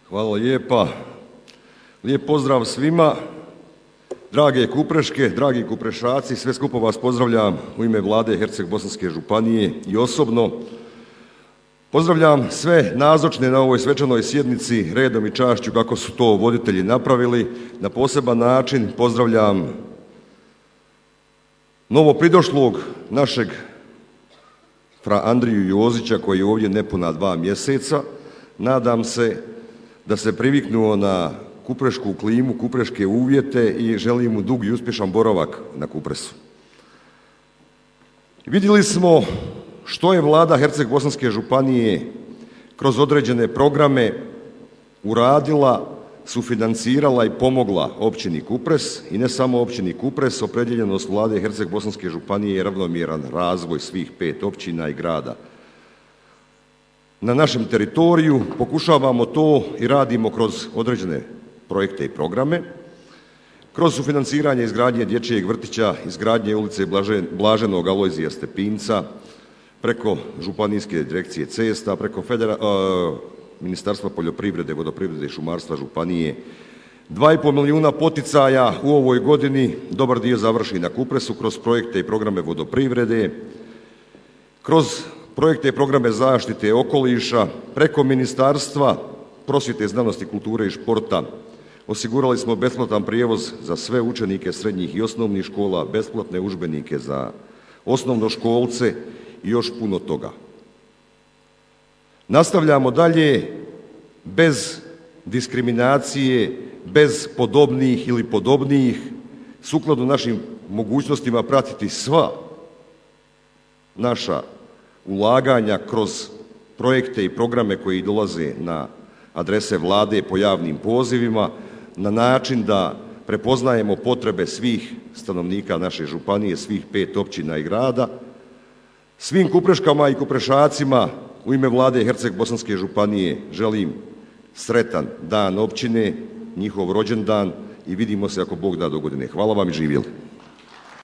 Hvala lijepa. Lijep pozdrav svima. Drage Kupreške, dragi Kuprešaci, sve skupa vas pozdravljam u ime Vlade Herceg-bosanske županije i osobno. Pozdravljam sve nazočne na ovoj svečanoj sjednici redom i čašću kako su to voditelji napravili. Na poseban način pozdravljam novopridošlog našeg fra Andriju Jozića koji je ovdje nepuna 2 mjeseca. Nadam se da se priviknuo na kuprešku klimu, kupreške uvjete i želim mu dug i uspješan boravak na Kupresu. Vidjeli smo što je Vlada Herceg-bosanske županije kroz određene programe uradila, sufinancirala i pomogla općini Kupres i ne samo općini Kupres. Opredijeljenost Vlade Herceg-bosanske županije je ravnomjeran razvoj svih 5 općina i grada na našem teritoriju. Pokušavamo to i radimo kroz određene projekte i programe, kroz sufinanciranje izgradnje dječjeg vrtića, izgradnje ulice Blaženog Alojzija Stepinca, preko Županijske direkcije cesta, preko Ministarstva poljoprivrede, vodoprivrede i šumarstva županije. 2,5 milijuna poticaja u ovoj godini, dobar dio završi na Kupresu kroz projekte i programe vodoprivrede, kroz projekte i programe zaštite okoliša, preko Ministarstva prosvjete, znanosti, kulture i športa. Osigurali smo besplatan prijevoz za sve učenike srednjih i osnovnih škola, besplatne udžbenike za osnovnoškolce i još puno toga. Nastavljamo dalje bez diskriminacije, bez podobnijih ili podobnijih, sukladno našim mogućnostima pratiti sva naša ulaganja kroz projekte i programe koji dolaze na adrese Vlade po javnim pozivima na način da prepoznajemo potrebe svih stanovnika naše županije, svih 5 općina i grada. Svim Kupreškama i Kuprešacima u ime Vlade Herceg-bosanske županije želim sretan dan općine, njihov rođendan i vidimo se ako Bog da do godine. Hvala vam i živjeli.